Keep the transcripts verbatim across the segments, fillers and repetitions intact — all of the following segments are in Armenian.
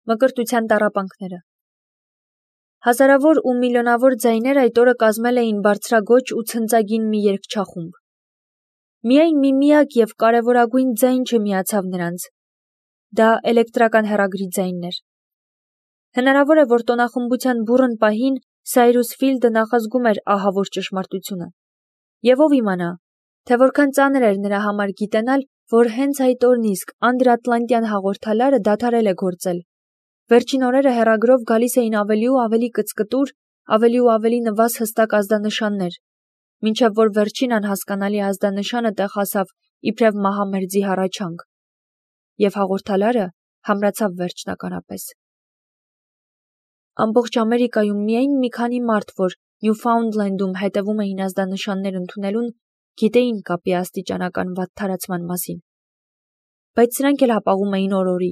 Մկրտության տառապանքները։ Հազարավոր ու միլիոնավոր ձայներ այդ օրը կազմել էին բարձրագոչ ու ցնծագին մի երգչախումբ։ Միայն մի միակ և կարևորագույն ձայն չմիացավ նրանց։ Դա էլեկտրական հեռագրի ձայնն էր։ Հնարավոր է, որ տոնախմբության բուռն պահին Սայրուս Ֆիլդը նախազգում էր ահավոր ճշմարտությունը։ Եվ ով իմանա, թե որքան ծանր էր նրա համար գիտենալ, որ հենց այդ օրն իսկ անդրատլանտյան հաղորդալարը դադարել է գործել։ Վերջին օրերը հեռագրով գալիս էին ավելի ու ավելի կծկտուր, ավելի ու ավելի նվազ հստակ ազդանշաններ, մինչև որ վերջին անհասկանալի ազդանշանը տեղ հասավ իբրև մահամերձի հառաչանք։ Եվ հաղորդալարը համրացավ վերջնականապես։ Ամբողջ Ամերիկայում միայն մի քանի մարդ, որ Նյուֆաունդլենդում հետևում էին ազդանշաններ ընդունելուն, գիտեին կապի աստիճանական վատթարացման մասին։ Բայց սրանք էլ հապաղում էին օր-օրի,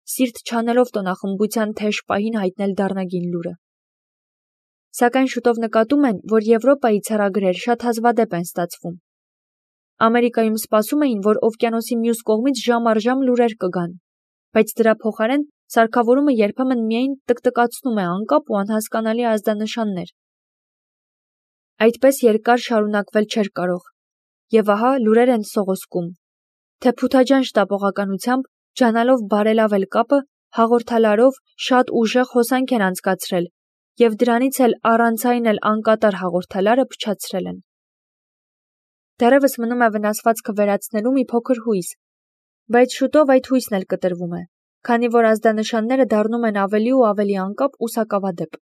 սիրտ չանելով տոնախմբության թեժ պահին հայտնել դառնագին լուրը։ Սակայն շուտով նկատում են, որ Եվրոպայից հեռագրեր շատ հազվադեպ են ստացվում։ Ամերիկայում սպասում էին, որ օվկիանոսի մյուս կողմից ժամ առ ժամ լուրեր կգան, բայց դրա փոխարեն սարքավորումը երբեմն միայն տկտկացնում է անկապ ու անհասկանալի ազդանշաններ։ Այդպես երկար շարունակվել չէր կարող, եւ ահա լուրեր են սողոսկում, թե փութաջան շտապողականությամբ, ջանալով բարելավել կապը, հաղորդալարով շատ ուժեղ հոսանք են անցկացրել եւ դրանից էլ առանց այն էլ անկատար հաղորդալարը փչացրել են։ Դեռևս մնում է վնասվածքը վերացնելու մի փոքր հույս, բայց շուտով այդ հույսն էլ կտրվում է, քանի որ ազդանշանները դառնում են ավելի ու ավելի անկապ ու սակավադեպ։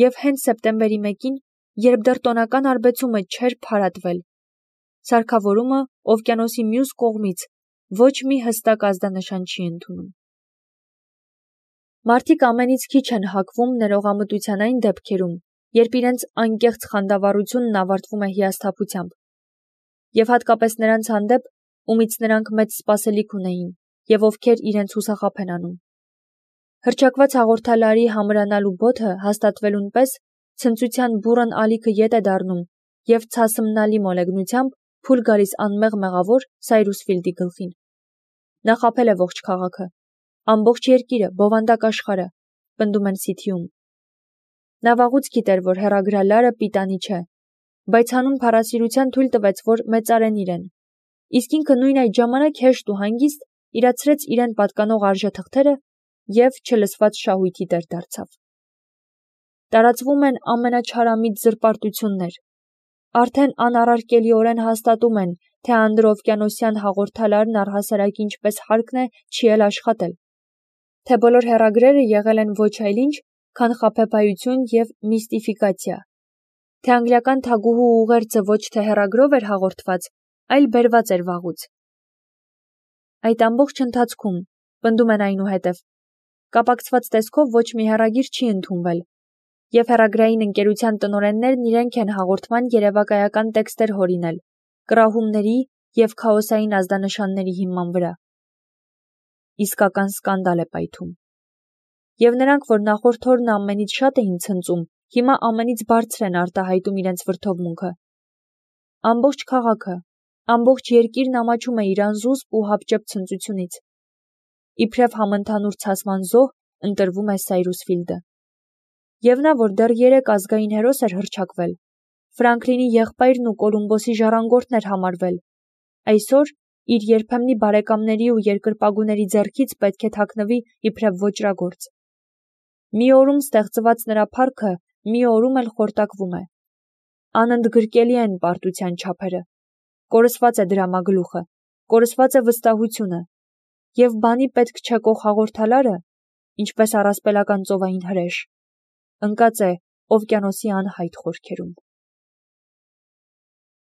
Եվ հենց սեպտեմբերի մեկին, երբ դեռ տոնական արբեցումը չէր փարատվել, սարքավորումը օվկիանոսի մյուս կողմից ոչ մի հստակ ազդանշան չի ընդունում։ Մարդիկ ամենից քիչ են հակվում ներողամտության այն դեպքերում, երբ իրենց անկեղծ խանդավառությունն ավարտվում է հիասթափությամբ, եւ հատկապես նրանց հանդեպ, ումից նրանք մեծ սպասելիք ունեին, եւ ովքեր իրենց հուսախաբ են անում։ Հռչակված հաղորդալարի համրանալու բոթը հաստատվելուն պես ցնծության բուռն ալիքը ետ է դառնում եւ ցասմնալի մոլեգնությամբ փուլ գալիս անմեղ մեղավոր Սայրուս Ֆիլդի գլխին։ Նա խաբել է ողջ քաղաքը, ամբողջ երկիրը, բովանդակ աշխարհը, պնդում են սի թի ում։ Նա վաղուց գիտեր, որ հեռագրալարը պիտանի չէ, բայց հանուն փառասիրության թույլ տվեց, որ մեծարեն իրեն, իսկ ինքը նույն այդ ժամանակ հեշտ ու հանգիստ իրացրեց իրեն պատկանող արժեթղթերը եւ չլսված շահույթի տեր դարձավ։ Տարածվում են ամենաչարամիտ զրպարտություններ։ Արդեն անառարկելիորեն հաստատում են, թե անդրօվկիանոսյան հաղորդալարն առհասարակ ինչպես հարկն է չի էլ աշխատել, թե բոլոր հեռագրերը եղել են ոչ այլ ինչ, քան խաբեբայություն եւ միստիֆիկացիա, թե անգլիական թագուհու ուղերձը ոչ թե հեռագրով էր հաղորդված, այլ բերված էր վաղուց։ Այդ ամբողջ ընթացքում, պնդում են այնուհետև, կապակցված տեսքով ոչ մի հեռագիր չի ընդունվել, եւ հեռագրային ընկերության տնօրեններն իրենք են հաղորդման երևակայական տեքստեր հորինել, կռահումների եւ քաոսային ազդանշանների հիման վրա։ Իսկական սկանդալ է պայթում։ Եվ նրանք, որ նախորդ օրն ամենից շատ էին ցնծում, հիմա ամենից բարձր են արտահայտում իրենց վրդովմունքը։ Ամբողջ քաղաքը, ամբողջ երկիրն ամաչում է իր անզուսպ ու հապճեպ ցնծությունից։ Իբրև համընդհանուր ցասման զոհ ընտրվում է Սայրուս Ֆիլդը։ Եվ նա, որ դեռ երեք ազգային հերոս էր հռչակվել, Ֆրանկլինի եղբայրն ու Կոլումբոսի ժառանգորդն էր համարվել, այսօր իր երբեմնի բարեկամների ու երկրպագուների ձեռքից պետք է թաքնվի իբրև ոճրագործ։ Մի օրում ստեղծված նրա փառքը մի օրում էլ խորտակվում է։ Անընդգրկելի են պարտության չափերը, կորսված է դրամագլուխը, կորսված է վստահությունը, եւ բանի պետք չեկող հաղորդալարը, ինչպես առասպելական ծովային հրեշ, ընկած է օվկիանոսի անհայտ խորքերում։